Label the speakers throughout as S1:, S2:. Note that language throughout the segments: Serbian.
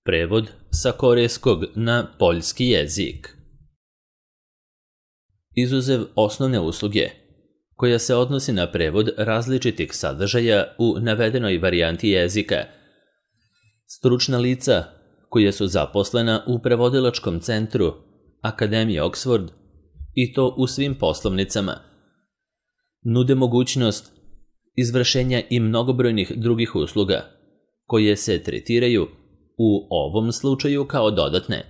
S1: Prevod sa korejskog na poljski jezik. Izuzev osnovne usluge, koja se odnosi na prevod različitih sadržaja u navedenoj varijanti jezika, stručna lica koja su zaposlena u prevodilačkom centru Akademije Oxford, i to u svim poslovnicama, nude mogućnost izvršenja i mnogobrojnih drugih usluga, koje se tretiraju u ovom slučaju kao dodatne.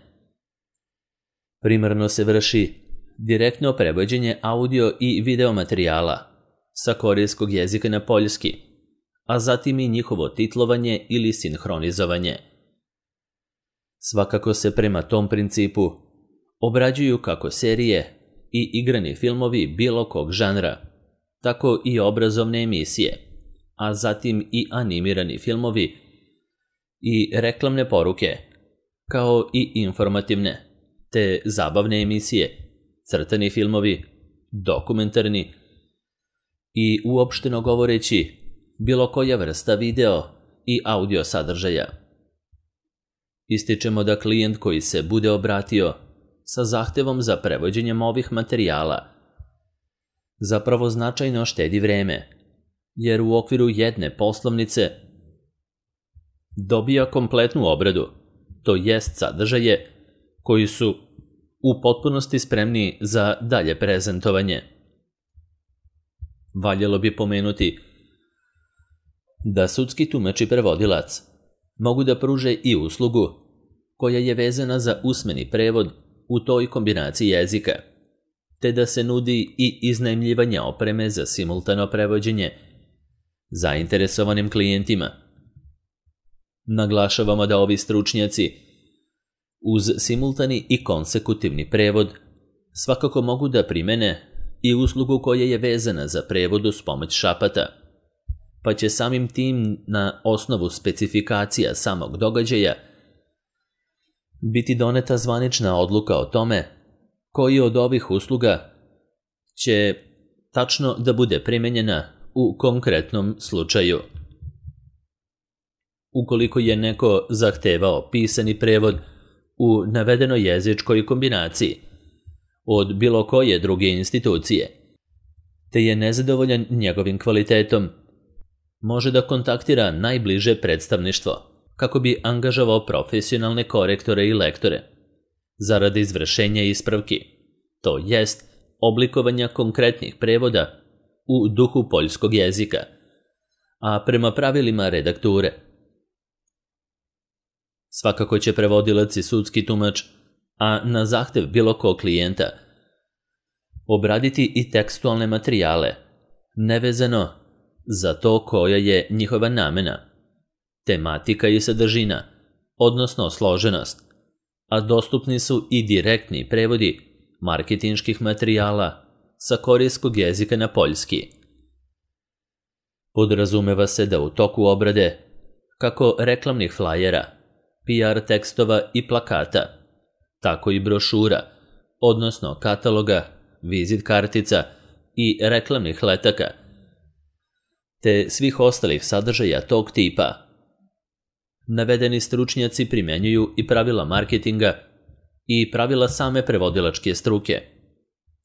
S1: Primarno se vrši direktno prevođenje audio i video materijala sa korejskog jezika na poljski, a zatim i njihovo titlovanje ili sinhronizovanje. Svakako se prema tom principu obrađuju kako serije i igrani filmovi bilo kog žanra, tako i obrazovne emisije, a zatim i animirani filmovi i reklamne poruke, kao i informativne te zabavne emisije, crtani filmovi, dokumentarni i uopšteno govoreći bilo koja vrsta video i audio sadržaja. Ističemo da klijent koji se bude obratio sa zahtevom za prevođenjem ovih materijala zapravo značajno štedi vreme, jer u okviru jedne poslovnice dobija kompletnu obradu, to jest sadržaje koji su u potpunosti spremni za dalje prezentovanje. Valjalo bi pomenuti da sudski tumač i prevodilac mogu da pruže i uslugu koja je vezana za usmeni prevod u toj kombinaciji jezika, te da se nudi i iznajmljivanje opreme za simultano prevođenje zainteresovanim klijentima. Naglašavamo da ovi stručnjaci uz simultani i konsekutivni prevod svakako mogu da primene i uslugu koja je vezana za prevod uz pomoć šapata, pa će samim tim na osnovu specifikacija samog događaja biti doneta zvanična odluka o tome koji od ovih usluga će tačno da bude primenjena u konkretnom slučaju. Ukoliko je neko zahtevao pisani prevod u navedenoj jezičkoj kombinaciji od bilo koje druge institucije, te je nezadovoljan njegovim kvalitetom, može da kontaktira najbliže predstavništvo kako bi angažovao profesionalne korektore i lektore zaradi izvršenja ispravki, to jest oblikovanja konkretnih prevoda u duhu poljskog jezika, a prema pravilima redakture. Svakako će prevodilac i sudski tumač, a na zahtev bilo kog klijenta, obraditi i tekstualne materijale, nevezano za to koja je njihova namena, tematika i sadržina, odnosno složenost, a dostupni su i direktni prevodi marketinških materijala sa korejskog jezika na poljski. Podrazumeva se da u toku obrade, kako reklamnih flajera, PR tekstova i plakata, tako i brošura, odnosno kataloga, vizit kartica i reklamnih letaka, te svih ostalih sadržaja tog tipa. Navedeni stručnjaci primenjuju i pravila marketinga i pravila same prevodilačke struke,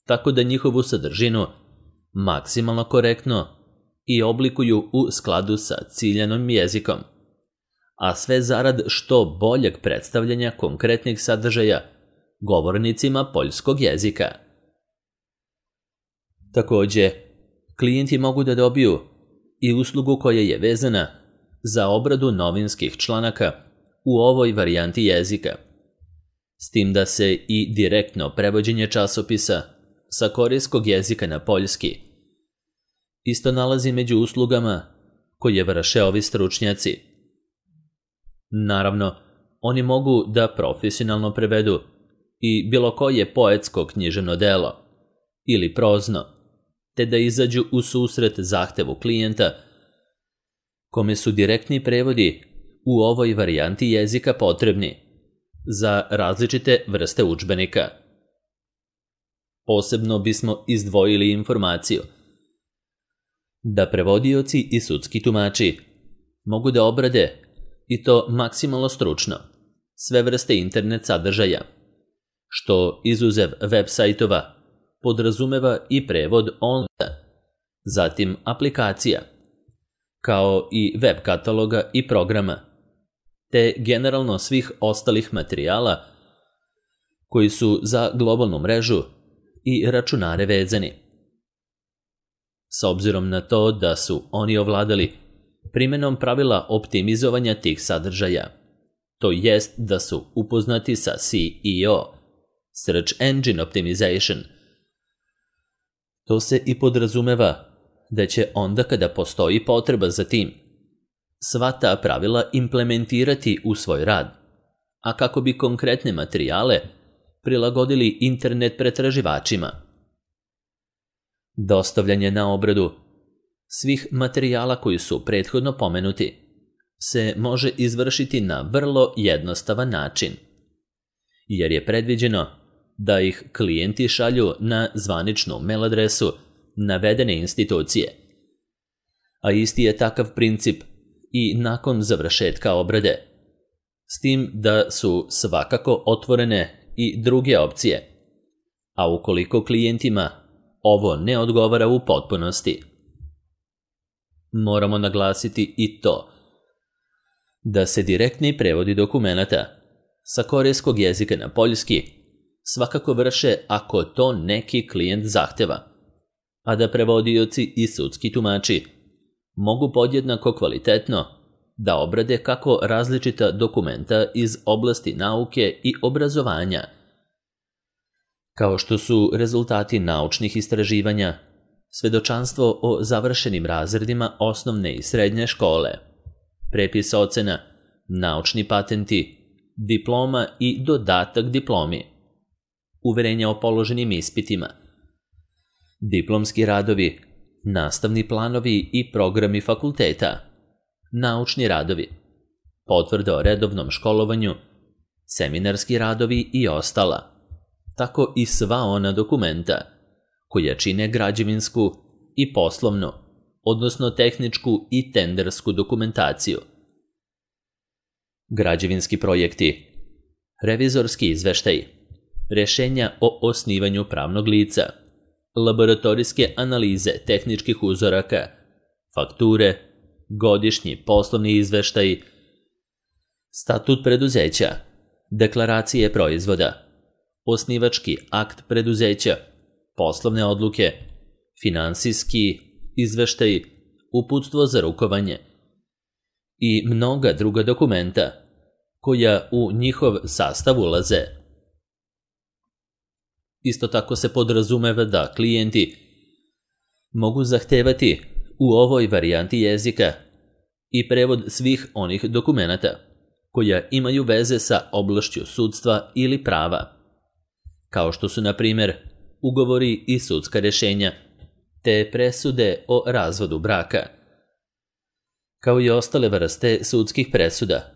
S1: tako da njihovu sadržinu maksimalno korektno i oblikuju u skladu sa ciljanim jezikom, a sve zarad što boljeg predstavljanja konkretnih sadržaja govornicima poljskog jezika. Takođe, klijenti mogu da dobiju i uslugu koja je vezana za obradu novinskih članaka u ovoj varijanti jezika, s tim da se i direktno prevođenje časopisa sa korejskog jezika na poljski isto nalazi među uslugama koje vrše ovi stručnjaci. Naravno, oni mogu da profesionalno prevedu i bilo koje poetsko književno delo ili prozno, te da izađu u susret zahtevu klijenta kome su direktni prevodi u ovoj varijanti jezika potrebni za različite vrste udžbenika. Posebno bismo izdvojili informaciju da prevodioci i sudski tumači mogu da obrade, i to maksimalno stručno, sve vrste internet sadržaja, što izuzev web sajtova podrazumeva i prevod online, zatim aplikacija, kao i web kataloga i programa, te generalno svih ostalih materijala koji su za globalnu mrežu i računare vezani. S obzirom na to da su oni ovladali primenom pravila optimizovanja tih sadržaja, to jest da su upoznati sa SEO, Search Engine Optimization, to se i podrazumeva da će onda kada postoji potreba za tim, sva ta pravila implementirati u svoj rad, a kako bi konkretne materijale prilagodili internet pretraživačima. Dostavljanje na obradu svih materijala koji su prethodno pomenuti se može izvršiti na vrlo jednostavan način, jer je predviđeno da ih klijenti šalju na zvaničnu mail adresu navedene institucije, a isti je takav princip i nakon završetka obrade, s tim da su svakako otvorene i druge opcije, a ukoliko klijentima ovo ne odgovara u potpunosti. Moramo naglasiti i to da se direktni prevodi dokumenata sa korejskog jezika na poljski svakako vrše ako to neki klijent zahteva, a da prevodioci i sudski tumači mogu podjednako kvalitetno da obrade kako različita dokumenta iz oblasti nauke i obrazovanja, kao što su rezultati naučnih istraživanja, svedočanstvo o završenim razredima osnovne i srednje škole, prepis ocena, naučni patenti, diploma i dodatak diplomi, uverenja o položenim ispitima, diplomski radovi, nastavni planovi i programi fakulteta, naučni radovi, potvrde o redovnom školovanju, seminarski radovi i ostala, tako i sva ona dokumenta koja čine građevinsku i poslovnu, odnosno tehničku i tendersku dokumentaciju. Građevinski projekti, revizorski izveštaji, rješenja o osnivanju pravnog lica, laboratorijske analize tehničkih uzoraka, fakture, godišnji poslovni izveštaji, statut preduzeća, deklaracije proizvoda, osnivački akt preduzeća, poslovne odluke, finansijski izveštaji, uputstvo za rukovanje i mnoga druga dokumenta koja u njihov sastav ulaze. Isto tako se podrazumeva da klijenti mogu zahtevati u ovoj varijanti jezika i prevod svih onih dokumenata koja imaju veze sa oblašću sudstva ili prava, kao što su, na primjer, ugovori i sudska rješenja, te presude o razvodu braka, kao i ostale vrste sudskih presuda,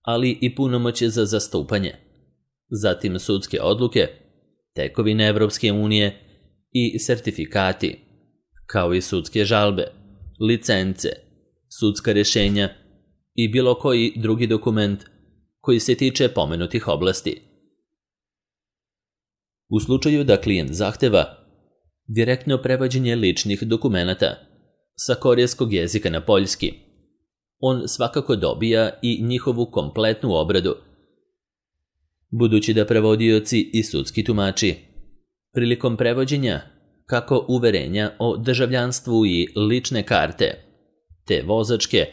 S1: ali i punomoćje za zastupanje, zatim sudske odluke, tekovine Evropske unije i sertifikati, kao i sudske žalbe, licence, sudska rješenja i bilo koji drugi dokument koji se tiče pomenutih oblasti. U slučaju da klijent zahteva direktno prevođenje ličnih dokumenata sa korejskog jezika na poljski, on svakako dobija i njihovu kompletnu obradu, budući da prevodioci i sudski tumači prilikom prevođenja kako uverenja o državljanstvu i lične karte, te vozačke,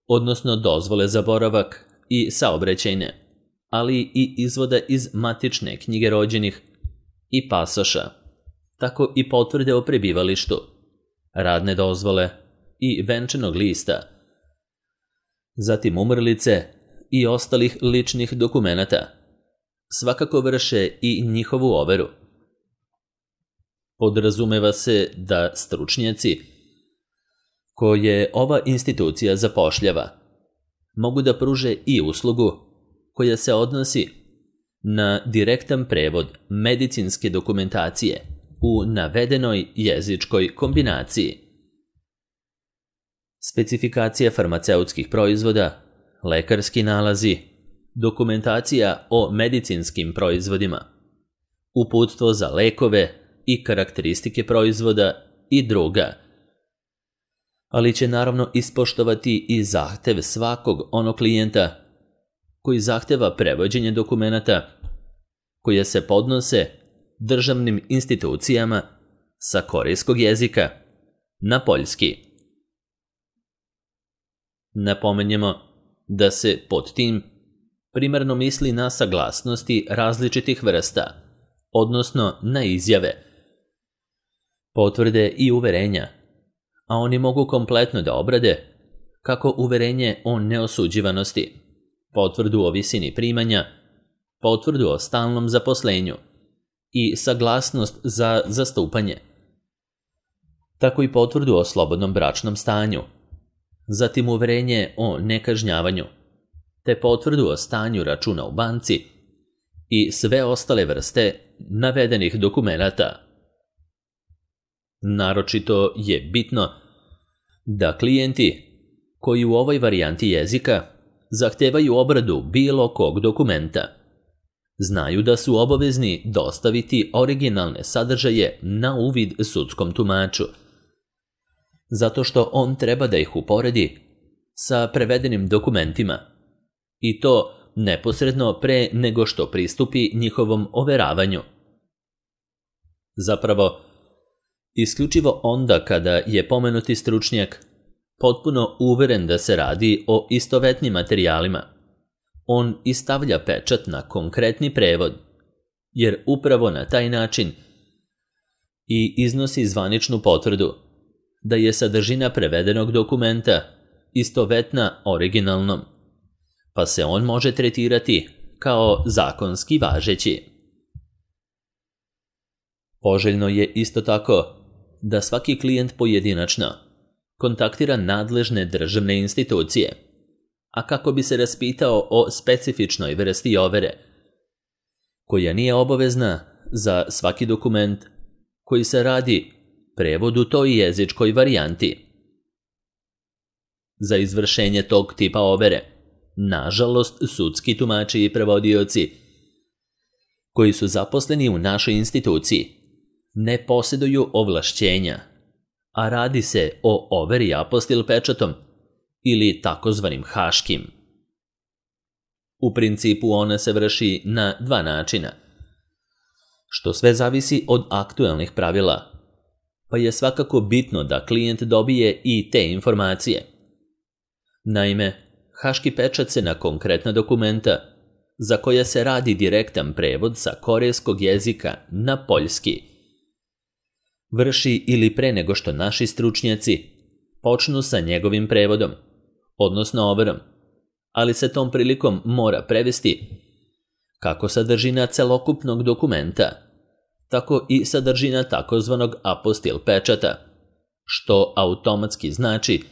S1: odnosno dozvole za boravak i saobraćajne, ali i izvoda iz matične knjige rođenih i pasoša, tako i potvrde o prebivalištu, radne dozvole i venčanog lista, zatim umrlice i ostalih ličnih dokumenata, svakako vrše i njihovu overu. Podrazumeva se da stručnjaci koje ova institucija zapošljava mogu da pruže i uslugu koja se odnosi na direktan prevod medicinske dokumentacije u navedenoj jezičkoj kombinaciji. Specifikacija farmaceutskih proizvoda, lekarski nalazi, dokumentacija o medicinskim proizvodima, uputstvo za lekove i karakteristike proizvoda i druga. Ali će naravno ispoštovati i zahtev svakog onog klijenta koji zahteva prevođenje dokumenata koje se podnose državnim institucijama sa korejskog jezika na poljski. Napomenjemo da se pod tim primarno misli na saglasnosti različitih vrsta, odnosno na izjave, potvrde i uverenja, a oni mogu kompletno da obrade kako uverenje o neosuđivanosti, potvrdu o visini primanja, potvrdu o stalnom zaposlenju i saglasnost za zastupanje, tako i potvrdu o slobodnom bračnom stanju, zatim uverenje o nekažnjavanju, te potvrdu o stanju računa u banci i sve ostale vrste navedenih dokumenata. Naročito je bitno da klijenti koji u ovoj varijanti jezika zahtevaju obradu bilo kog dokumenta znaju da su obavezni dostaviti originalne sadržaje na uvid sudskom tumaču, zato što on treba da ih uporedi sa prevedenim dokumentima, i to neposredno pre nego što pristupi njihovom overavanju. Zapravo, isključivo onda kada je pomenuti stručnjak potpuno uveren da se radi o istovetnim materijalima, on i stavlja pečat na konkretni prevod, jer upravo na taj način i iznosi zvaničnu potvrdu da je sadržina prevedenog dokumenta istovetna originalnom, pa se on može tretirati kao zakonski važeći. Poželjno je isto tako da svaki klijent pojedinačno kontaktira nadležne državne institucije, a kako bi se raspitao o specifičnoj vrsti overe, koja nije obavezna za svaki dokument koji se radi prevod u toj jezičkoj varijanti. Za izvršenje tog tipa overe, nažalost, sudski tumači i prevodioci koji su zaposleni u našoj instituciji ne posjeduju ovlašćenja, a radi se o overi apostil pečatom ili takozvanim haškim. U principu ona se vrši na dva načina, što sve zavisi od aktuelnih pravila, pa je svakako bitno da klijent dobije i te informacije. Naime, haški pečat se na konkretna dokumenta, za koja se radi direktan prevod sa korejskog jezika na poljski, vrši ili pre nego što naši stručnjaci počnu sa njegovim prevodom, odnosno overom, ali se tom prilikom mora prevesti kako sadržina celokupnog dokumenta, tako i sadržina takozvanog apostil pečata, što automatski znači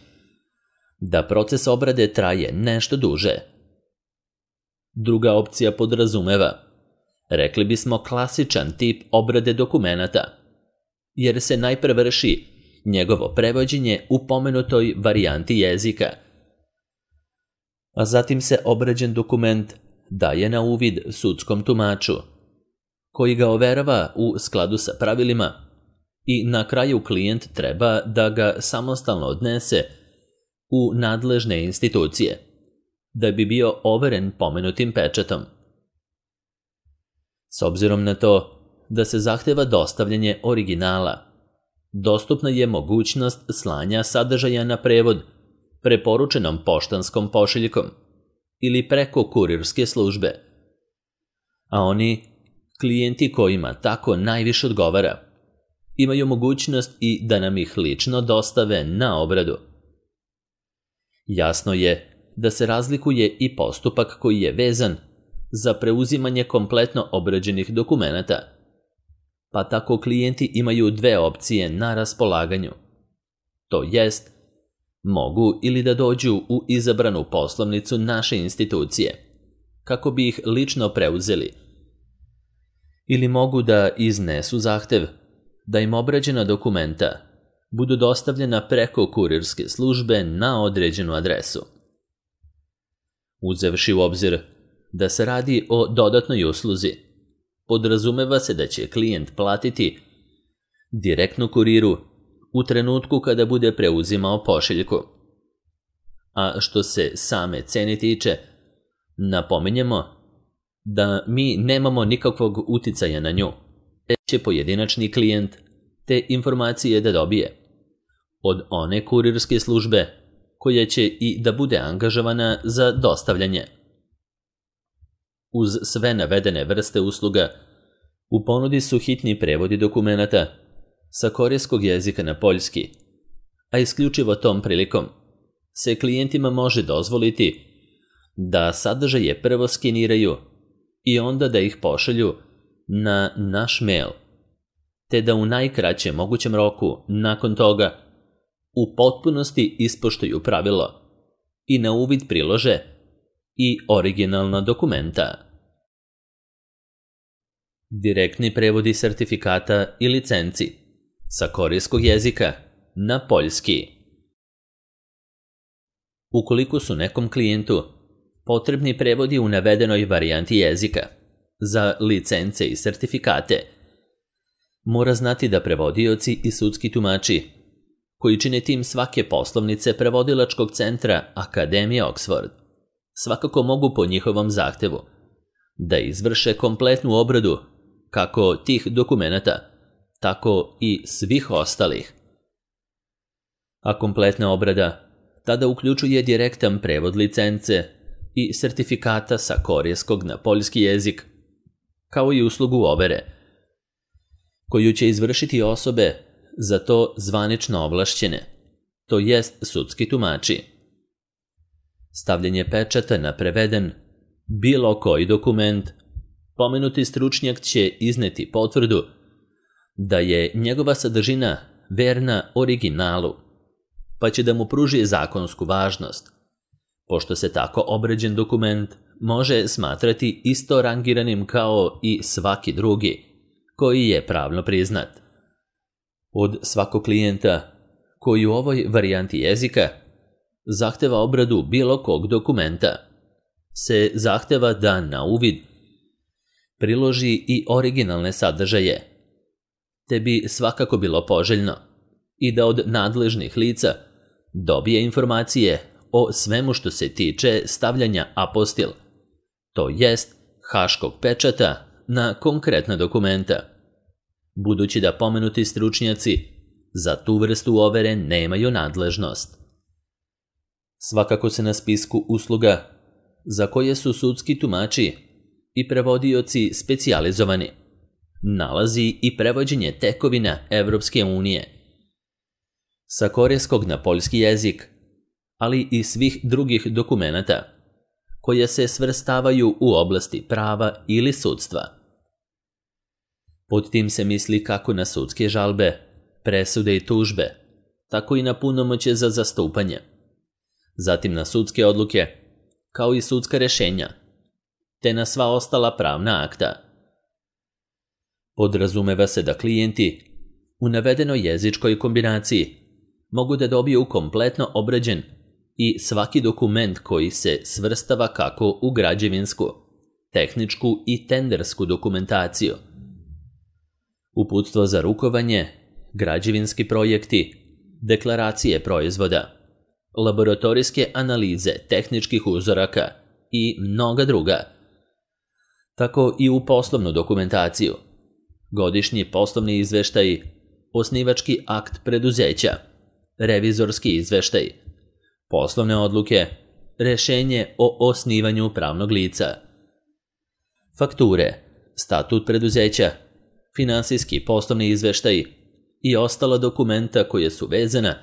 S1: da proces obrade traje nešto duže. Druga opcija podrazumeva, rekli bismo, klasičan tip obrade dokumenata, jer se najpre vrši njegovo prevođenje u pomenutoj varijanti jezika, a zatim se obrađen dokument daje na uvid sudskom tumaču, koji ga overava u skladu sa pravilima i na kraju klijent treba da ga samostalno odnese u nadležne institucije, da bi bio overen pomenutim pečatom. S obzirom na to da se zahteva dostavljanje originala, dostupna je mogućnost slanja sadržaja na prevod preporučenom poštanskom pošiljkom ili preko kurirske službe, a oni, klijenti kojima tako najviše odgovara, imaju mogućnost i da nam ih lično dostave na obradu. Jasno je da se razlikuje i postupak koji je vezan za preuzimanje kompletno obrađenih dokumenata, pa tako klijenti imaju dve opcije na raspolaganju. To jest, mogu ili da dođu u izabranu poslovnicu naše institucije, kako bi ih lično preuzeli, ili mogu da iznesu zahtev da im obrađena dokumenta budu dostavljena preko kurirske službe na određenu adresu. Uzevši u obzir da se radi o dodatnoj usluzi. Podrazumeva se da će klijent platiti direktno kuriru u trenutku kada bude preuzimao pošiljku. A što se same cene tiče, napominjemo da mi nemamo nikakvog uticaja na nju, te će pojedinačni klijent te informacije da dobije od one kurirske službe koja će i da bude angažovana za dostavljanje. Uz sve navedene vrste usluga, u ponudi su hitni prevodi dokumenata sa korejskog jezika na poljski, a isključivo tom prilikom se klijentima može dozvoliti da sadržaje prvo skeniraju i onda da ih pošalju na naš mail, te da u najkraćem mogućem roku nakon toga u potpunosti ispoštuju pravilo i na uvid prilože i originalna dokumenta. Direktni prevodi sertifikata i licenci sa korejskog jezika na poljski. Ukoliko su nekom klijentu potrebni prevodi u navedenoj varijanti jezika za licence i sertifikate, mora znati da prevodioci i sudski tumači koji čine tim svake poslovnice prevodilačkog centra Akademije Oxford svakako mogu po njihovom zahtevu da izvrše kompletnu obradu kako tih dokumenata, tako i svih ostalih. A kompletna obrada tada uključuje direktan prevod licence i sertifikata sa korejskog na poljski jezik, kao i uslugu overe, koju će izvršiti osobe za to zvanično ovlašćene, to jest sudski tumači. Stavljanje pečata na preveden bilo koji dokument, pomenuti stručnjak će izneti potvrdu da je njegova sadržina verna originalu, pa će da mu pruži zakonsku važnost, pošto se tako obrađen dokument može smatrati isto rangiranim kao i svaki drugi, koji je pravno priznat. Od svakog klijenta koji u ovoj varijanti jezika zahteva obradu bilo kog dokumenta, se zahteva da na uvid priloži i originalne sadržaje, te bi svakako bilo poželjno i da od nadležnih lica dobije informacije o svemu što se tiče stavljanja apostil, to jest haškog pečata na konkretna dokumenta, budući da pomenuti stručnjaci za tu vrstu overe nemaju nadležnost. Svakako se na spisku usluga za koje su sudski tumači i prevodioci specijalizovani nalazi i prevođenje tekovina Evropske unije sa korejskog na poljski jezik, ali i svih drugih dokumenata koje se svrstavaju u oblasti prava ili sudstva. Pod tim se misli kako na sudske žalbe, presude i tužbe, tako i na punomoćje za zastupanje, zatim na sudske odluke, kao i sudska rešenja, te na sva ostala pravna akta. Podrazumeva se da klijenti u navedenoj jezičkoj kombinaciji mogu da dobiju kompletno obrađen i svaki dokument koji se svrstava kako u građevinsku, tehničku i tendersku dokumentaciju, uputstvo za rukovanje, građevinski projekti, deklaracije proizvoda, laboratorijske analize tehničkih uzoraka i mnoga druga, tako i u poslovnu dokumentaciju, godišnji poslovni izveštaji, osnivački akt preduzeća, revizorski izveštaj, poslovne odluke, rešenje o osnivanju pravnog lica, fakture, statut preduzeća, finansijski poslovni izveštaj i ostala dokumenta koje su vezana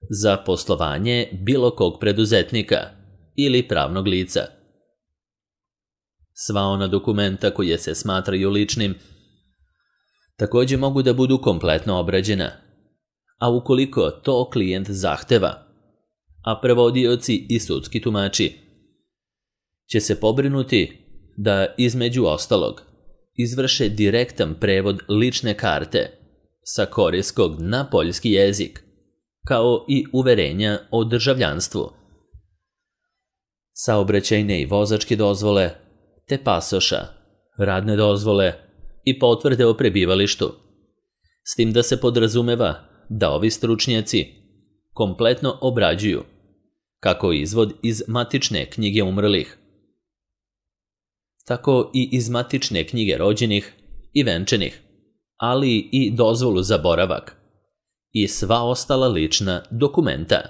S1: za poslovanje bilo kog preduzetnika ili pravnog lica. Sva ona dokumenta koje se smatraju ličnim također mogu da budu kompletno obrađena, a ukoliko to klijent zahteva, a prevodioci i sudski tumači će se pobrinuti da između ostalog izvrše direktan prevod lične karte sa korejskog na poljski jezik, kao i uverenja o državljanstvu. Saobraćajne i vozačke dozvole, te pasoša, radne dozvole i potvrde o prebivalištu, s tim da se podrazumeva da ovi stručnjaci kompletno obrađuju kako izvod iz matične knjige umrlih, tako i iz matične knjige rođenih i venčanih, ali i dozvolu za boravak i sva ostala lična dokumenta.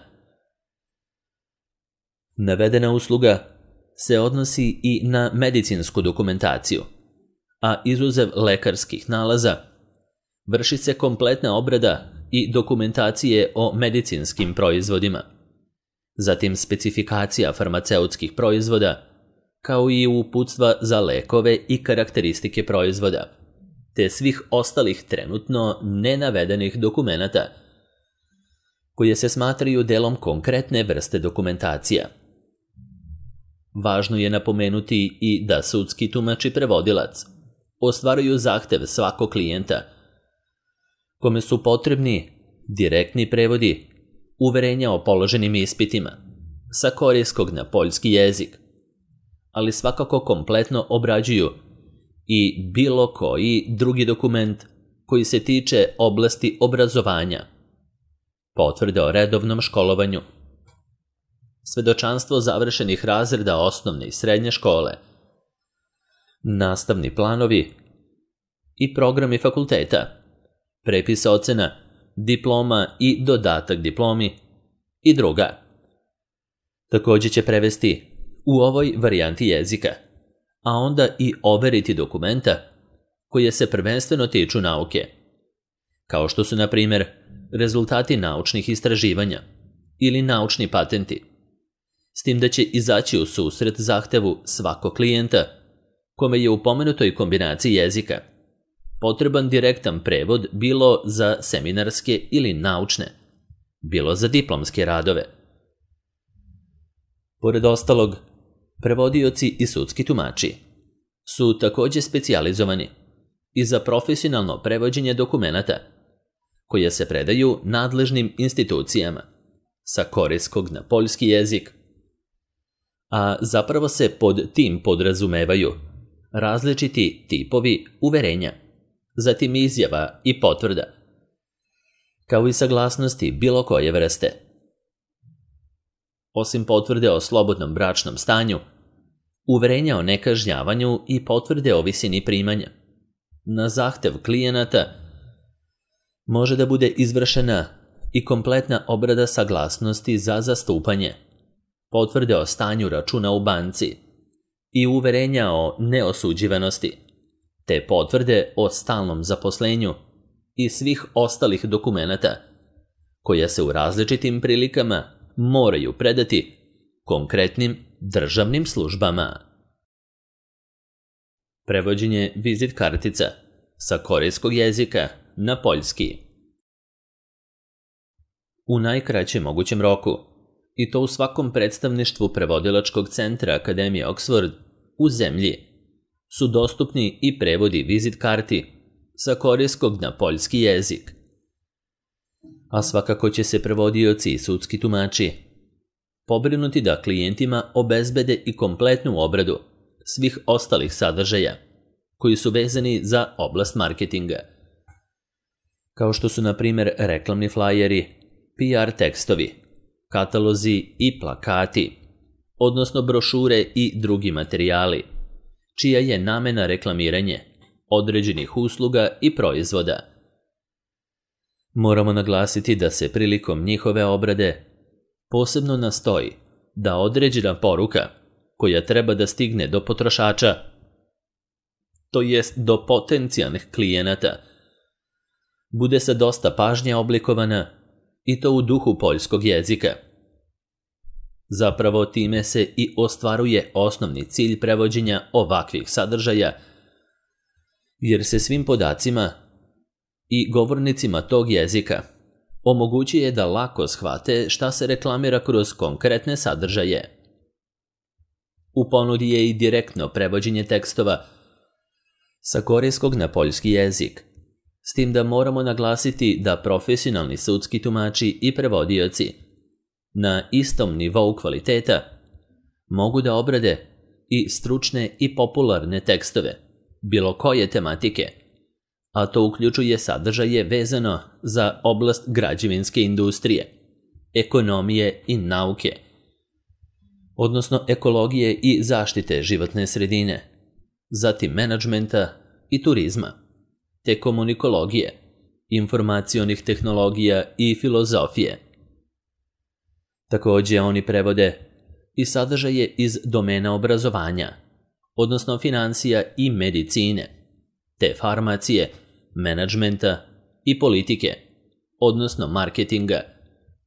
S1: Navedena usluga se odnosi i na medicinsku dokumentaciju, a izuzev lekarskih nalaza, vrši se kompletna obrada i dokumentacije o medicinskim proizvodima, zatim specifikacija farmaceutskih proizvoda, kao i uputstva za lekove i karakteristike proizvoda, te svih ostalih trenutno nenavedenih dokumenata, koje se smatraju delom konkretne vrste dokumentacija. Važno je napomenuti i da sudski tumač i prevodilac ostvaruju zahtev svakog klijenta, kome su potrebni direktni prevodi uverenja o položenim ispitima sa korejskog na poljski jezik, ali svakako kompletno obrađuju i bilo koji drugi dokument koji se tiče oblasti obrazovanja, potvrde o redovnom školovanju, svedočanstvo završenih razreda osnovne i srednje škole, nastavni planovi i programi fakulteta, prepis ocena, diploma i dodatak diplomi i druga. Također će prevesti u ovoj varijanti jezika, a onda i overiti dokumenta koje se prvenstveno tiču nauke, kao što su, na primjer, rezultati naučnih istraživanja ili naučni patenti, s tim da će izaći u susret zahtevu svakog klijenta kome je u pomenutoj kombinaciji jezika potreban direktan prevod bilo za seminarske ili naučne, bilo za diplomske radove. Pored ostalog, prevodioci i sudski tumači su također specijalizovani i za profesionalno prevođenje dokumenata koje se predaju nadležnim institucijama sa korejskog na poljski jezik, a zapravo se pod tim podrazumevaju različiti tipovi uverenja, zatim izjava i potvrda, kao i saglasnosti bilo koje vrste. Osim potvrde o slobodnom bračnom stanju, uverenja o nekažnjavanju i potvrde o visini primanja, na zahtev klijenata može da bude izvršena i kompletna obrada saglasnosti za zastupanje, potvrde o stanju računa u banci i uverenja o neosuđivanosti, te potvrde o stalnom zaposlenju i svih ostalih dokumenata koja se u različitim prilikama moraju predati konkretnim državnim službama. Prevođenje vizit kartica sa korejskog jezika na poljski. U najkraćem mogućem roku, i to u svakom predstavništvu prevodilačkog centra Akademije Oxford u zemlji, su dostupni i prevodi vizit karti sa korejskog na poljski jezik. A svakako će se prevodioci i sudski tumači pobrinuti da klijentima obezbede i kompletnu obradu svih ostalih sadržaja koji su vezani za oblast marketinga, kao što su, na primjer, reklamni flajeri, PR tekstovi, katalozi i plakati, odnosno brošure i drugi materijali, čija je namena reklamiranje određenih usluga i proizvoda. Moramo naglasiti da se prilikom njihove obrade posebno nastoji da određena poruka koja treba da stigne do potrošača, to jest do potencijalnih klijenata, bude sa dosta pažnje oblikovana i to u duhu poljskog jezika. Zapravo time se i ostvaruje osnovni cilj prevođenja ovakvih sadržaja, jer se svim podacima i govornicima tog jezika omogućuje da lako shvate šta se reklamira kroz konkretne sadržaje. U ponudi je i direktno prevođenje tekstova sa korejskog na poljski jezik, s tim da moramo naglasiti da profesionalni sudski tumači i prevodioci na istom nivou kvaliteta mogu da obrade i stručne i popularne tekstove, bilo koje tematike, a to uključuje sadržaje vezano za oblast građevinske industrije, ekonomije i nauke, odnosno ekologije i zaštite životne sredine, zatim menadžmenta i turizma, te komunikologije, informacionih tehnologija i filozofije. Također oni prevode i sadržaje iz domena obrazovanja, odnosno financija i medicine, te farmacije, menadžmenta i politike, odnosno marketinga,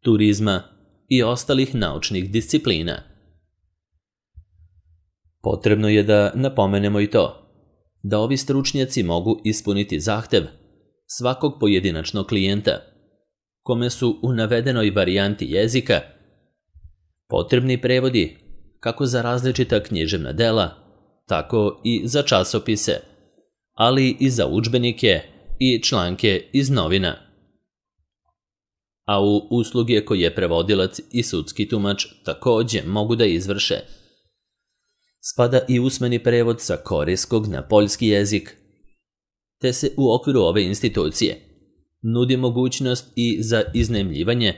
S1: turizma i ostalih naučnih disciplina. Potrebno je da napomenemo i to, da ovi stručnjaci mogu ispuniti zahtev svakog pojedinačnog klijenta, kome su u navedenoj varijanti jezika potrebni prevodi kako za različita književna dela, tako i za časopise, ali i za udžbenike i članke iz novina. A u usluge koje prevodilac i sudski tumač također mogu da izvrše, spada i usmeni prevod sa korejskog na poljski jezik, te se u okviru ove institucije nudi mogućnost i za iznajmljivanje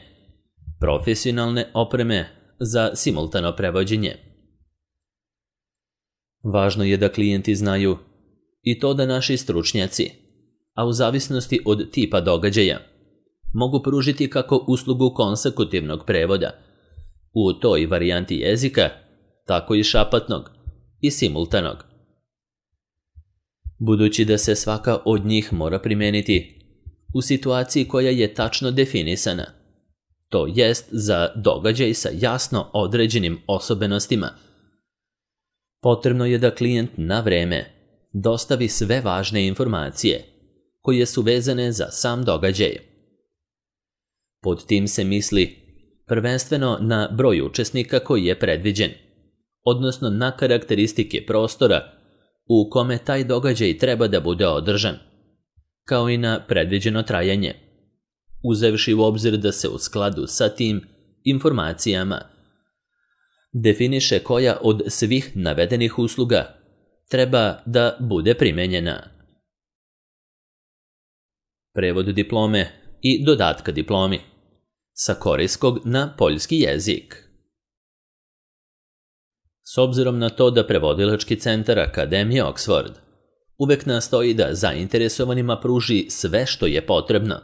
S1: profesionalne opreme za simultano prevođenje. Važno je da klijenti znaju i to da naši stručnjaci, a u zavisnosti od tipa događaja, mogu pružiti kako uslugu konsekutivnog prevoda u toj varijanti jezika, tako i šapatnog i simultanog. Budući da se svaka od njih mora primijeniti u situaciji koja je tačno definisana, to jest za događaj sa jasno određenim osobenostima, potrebno je da klijent na vreme dostavi sve važne informacije koje su vezane za sam događaj. Pod tim se misli prvenstveno na broj učesnika koji je predviđen, odnosno na karakteristike prostora u kome taj događaj treba da bude održan, kao i na predviđeno trajanje, uzevši u obzir da se u skladu sa tim informacijama definiše koja od svih navedenih usluga treba da bude primenjena. Prevod diplome i dodatka diplomi sa korejskog na poljski jezik. S obzirom na to da prevodilački centar Akademije Oxford uvek nastoji da zainteresovanima pruži sve što je potrebno,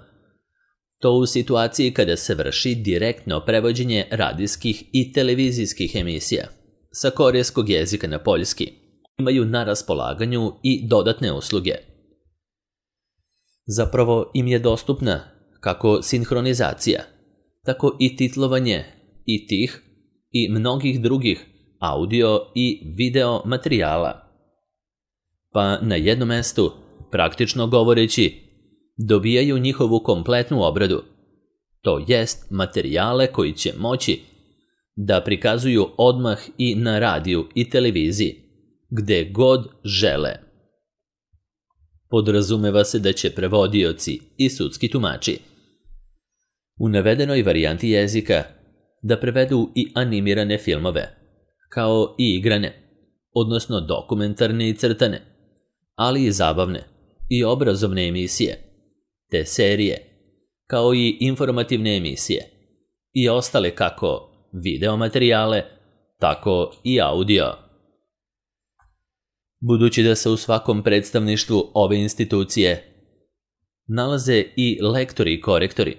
S1: to u situaciji kada se vrši direktno prevođenje radijskih i televizijskih emisija sa korejskog jezika na poljski, imaju na raspolaganju i dodatne usluge. Zapravo im je dostupna kako sinhronizacija, tako i titlovanje i tih i mnogih drugih audio i video materijala. Pa na jednom mestu, praktično govoreći, dobijaju njihovu kompletnu obradu, to jest materijale koji će moći da prikazuju odmah i na radiju i televiziji, gde god žele. Podrazumeva se da će prevodioci i sudski tumači u navedenoj varijanti jezika da prevedu i animirane filmove, kao i igrane, odnosno dokumentarne i crtane, ali i zabavne i obrazovne emisije, te serije, kao i informativne emisije i ostale kako video materijale, tako i audio. Budući da se u svakom predstavništvu ove institucije nalaze i lektori i korektori,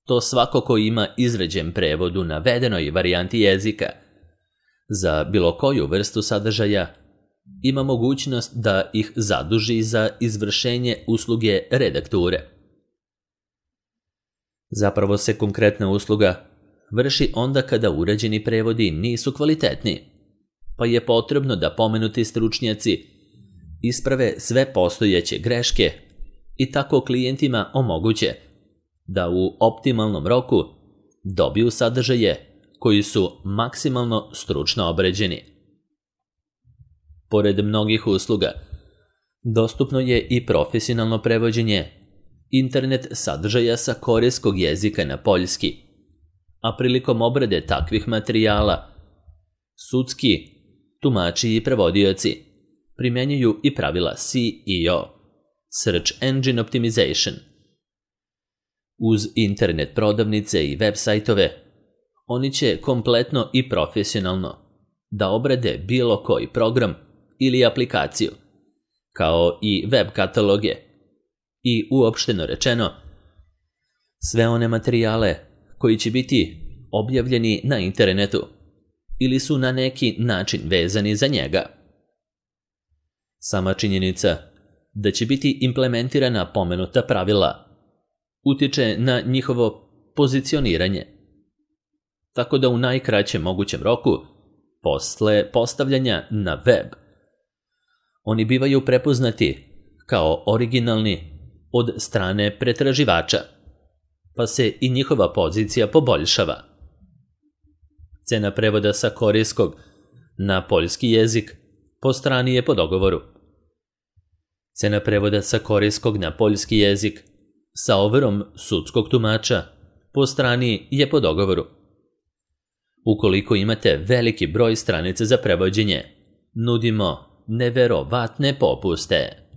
S1: to svako ko ima izrađen prevod u navedenoj varijanti jezika za bilo koju vrstu sadržaja ima mogućnost da ih zaduži za izvršenje usluge redakture. Zapravo se konkretna usluga vrši onda kada urađeni prevodi nisu kvalitetni, pa je potrebno da pomenuti stručnjaci isprave sve postojeće greške i tako klijentima omoguće da u optimalnom roku dobiju sadržaje koji su maksimalno stručno obrađeni. Pored mnogih usluga, dostupno je i profesionalno prevođenje internet sadržaja sa korejskog jezika na poljski, a prilikom obrade takvih materijala, sudski tumači i prevodioci primjenjuju i pravila SEO, Search Engine Optimization. Uz internet prodavnice i web sajtove, oni će kompletno i profesionalno da obrade bilo koji program ili aplikaciju, kao i web kataloge i uopšteno rečeno, sve one materijale koji će biti objavljeni na internetu ili su na neki način vezani za njega. Sama činjenica da će biti implementirana pomenuta pravila utiče na njihovo pozicioniranje, tako da u najkraćem mogućem roku, posle postavljanja na web, oni bivaju prepoznati kao originalni od strane pretraživača, pa se i njihova pozicija poboljšava. Cena prevoda sa korejskog na poljski jezik po strani je po dogovoru. Cena prevoda sa korejskog na poljski jezik sa overom sudskog tumača po strani je po dogovoru. Ukoliko imate veliki broj stranica za prevođenje, nudimo neverovatne popuste.